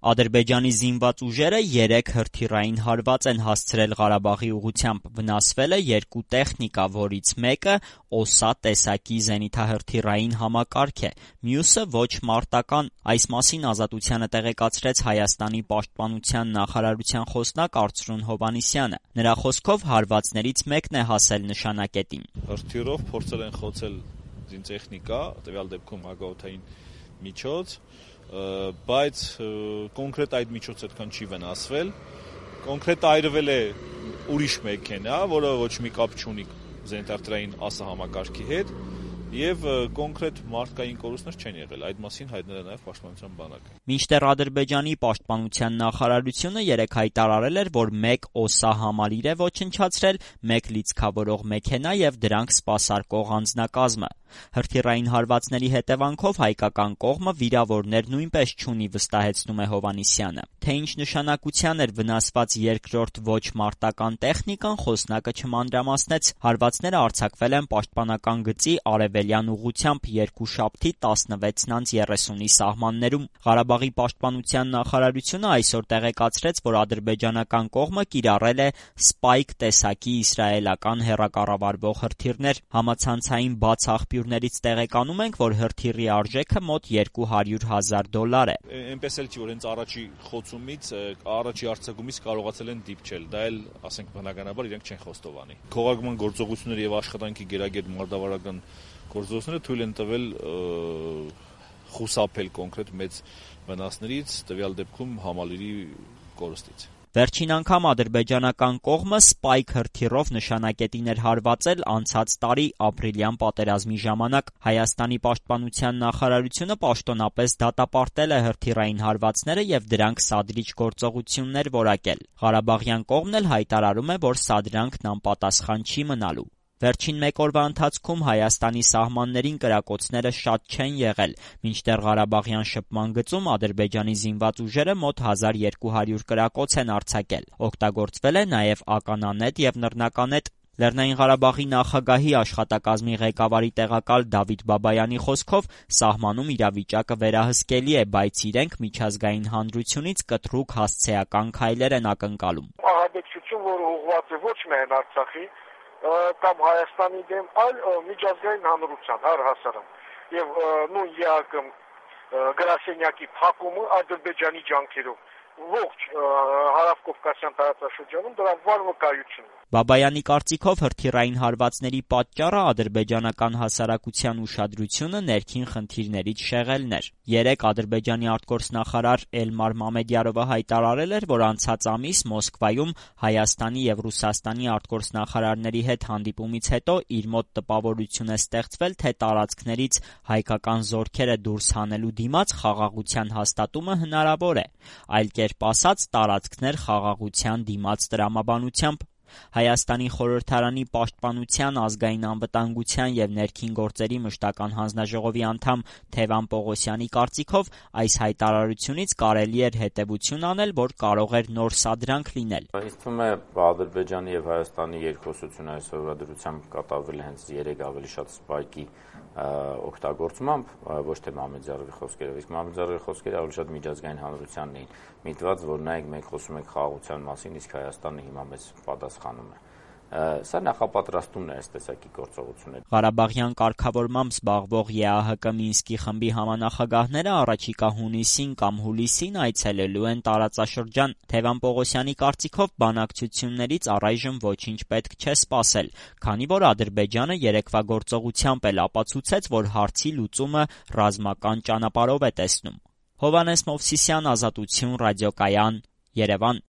Ադրբեջանի զինված ուժերը 3 հրթիռային հարված են հասցրել Ղարաբաղի ուղղությամբ, վնասվել է 2 տեխնիկա, որից մեկը «Օսա» տեսակի զենիթահրթիռային համակարգ է, մյուսը ոչ մարտական։ Այս մասին Ազատությանը տեղեկացրեց Հայաստանի պաշտպանության նախարարության խոսնակ Արծրուն Հովհաննիսյանը։ Նրա խոսքով հարվածներից մեկն է հասել նշանակետին։ Հրթիռով փորձել են խոցել զինտեխնիկա, տվյալ դեպքում հակաօդային միջոց, բայց կոնկրետ այդ միջոցը այդքան չի վնասվել, կոնկրետ այրվել է ուրիշ մեքենա, որը ոչ մի կապ չունի զենիթահրթիռային ԱՍ համակարգի հետ, եւ կոնկրետ մարդկային կորուստներ չեն եղել, այդ մասին հայտնել է նաեւ պաշտպանության բանակը։ Մինչդեռ Ադրբեջանի պաշտպանության նախարարությունը երեկ հայտարարել էր, որ 1 «Օսա» համալիր է ոչնչացրել, 1 լիցքավորող մեքենա եւ դրանք սպասարկող անձնակազմը։ Հրթիռային հարվածների հետևանքով հայկական կողմը վիրավորներ նույնպես չունի, վստահեցնում է Հովհաննիսյանը։ Թե ինչ նշանակության էր վնասված երկրորդ ոչ մարտական տեխնիկան, խոսնակը չմանրամասնեց։ Հարվածները արձակվել են պաշտպանական գծի արևելյան ուղղությամբ երկուշաբթի 16:30-ի սահմաններում։ Ղարաբաղի պաշտպանության նախարարությունը այսօր տեղեկացրեց, որ ադրբեջանական կողմը կիրառել է «Սպայք» տեսակի իսրայելական հեռակառավարվող հրթիռներ։ Համացանցային բաց աղբյուրներից տեղեկանում ենք, որ հրթիռի արժեքը մոտ $200,000 է։ Այնպես էլ չի, որ հենց առաջի խոցումից, առաջի արձակումից կարողացել են դիպչել, դա էլ, ասենք, բնականաբար իրենք չեն խոստովանի։ Քողարկման գործողությունները եւ աշխատանքի գերագետ մարտավարական գործողությունները թույլ են տվել խուսափել կոնկրետ մեծ վնասներից, տվյալ դեպքում համալիրի կորստից։ Վերջին անգամ ադրբեջանական կողմը «Սպայք» հրթիռով նշանակետին էր հարվածել անցած տարի ապրիլյան պատերազմի ժամանակ։ Հայաստանի պաշտպանության նախարարությունը պաշտոնապես դատապարտել է հրթիռային հարվածները եւ դրանք սադրիչ գործողություններ որակել։ Ղարաբաղյան կողմն էլ հայտարարում է, որ սադրանքն անպատասխան չի մնալու։ Վերջին մեկ օրվա ընթացքում Հայաստանի սահմաններին կրակոցները շատ չեն եղել, մինչդեռ Ղարաբաղյան շփման գծում Ադրբեջանի զինված ուժերը մոտ 1200 կրակոց են արձակել։ Օգտագործվել է նաև ականանետ եւ նռնականետ։ Լեռնային Ղարաբաղի նախագահի աշխատակազմի ղեկավարի տեղակալ Դավիթ Բաբայանի խոսքով սահմանում իրավիճակը վերահսկելի է, բայց իրենք միջազգային հանրությունից կտրուկ հասցեական քայլեր են ակնկալում։ Ահաբեկչություն, որը ուղղված է ոչ միայն Արցախի կամ Հայաստանի դեմ, այլ միջազգային հանրության առհասարակ եւ նույն ԵԱԿ գրասենյակի փակումը Ադրբեջանի ջանքերով ողջ հարավկովկասյան տարածաշրջանում դրա վառ վկայությունն է։ Բաբայանի կարծիքով հրթիռային հարվածների պատճառը ադրբեջանական հասարակության ուշադրությունը ներքին խնդիրներից շեղելն էր։ Երեկ Ադրբեջանի արտգործնախարար Էլմար Մամեդյարովը հայտարարել էր, որ անցած ամիս Մոսկվայում Հայաստանի եւ Ռուսաստանի արտգործնախարարների հետ հանդիպումից հետո իր մոտ տպավորություն է ստեղծվել, թե տարածքներից հայկական զորքերը դուրս հանելու դիմաց խաղաղության հաստատումը հնարավոր է, այլ կերպ ասած տարածքներ խաղաղության դիմաց տրամաբանությամբ։ Հայաստանի խորհրդարանի պաշտպանության, ազգային անվտանգության եւ ներքին գործերի մշտական հանձնաժողովի անդամ Թևան Պողոսյանի կարծիքով այս հայտարարությունից կարելի էր հետեւություն անել, որ կարող էր նոր սադրանք լինել։ Ինձ թվում է Ադրբեջանի եւ Հայաստանի երկխոսությունը այսօրվա դրությամբ կատարվել է հենց 3 ավելի շատ սպայկի օգտագործմամբ, ոչ թե Մամեդյարովի խոսքերով, իսկ Մամեդյարովի խոսքերը ավելի շատ միջազգային հանրությանն էին միտված, որ նայեք մենք խոսում ենք խաղաղության մասին, իսկ Հայաստանը հիմա մեզ պատասխանում է։ Սա նախապատրաստումն է այս տեսակի գործողություններ։ Ղարաբաղյան կարգավորմամբ զբաղվող ԵԱՀԿ Մինսկի խմբի համանախագահները առաջիկա հունիսին կամ հուլիսին այցելելու են տարածաշրջան։ Թևան Պողոսյանի կարծիքով բանակցություններից առայժմ ոչինչ պետք չէ սպասել, քանի որ Ադրբեջանը երեկվա գործողությամբ էլ ապացուցեց, որ հարցի լուծումը ռազմական ճանապարհով է տեսնում։ Հովհաննես Մովսիսյան, Ազատություն, ռադիոկայան, Երևան։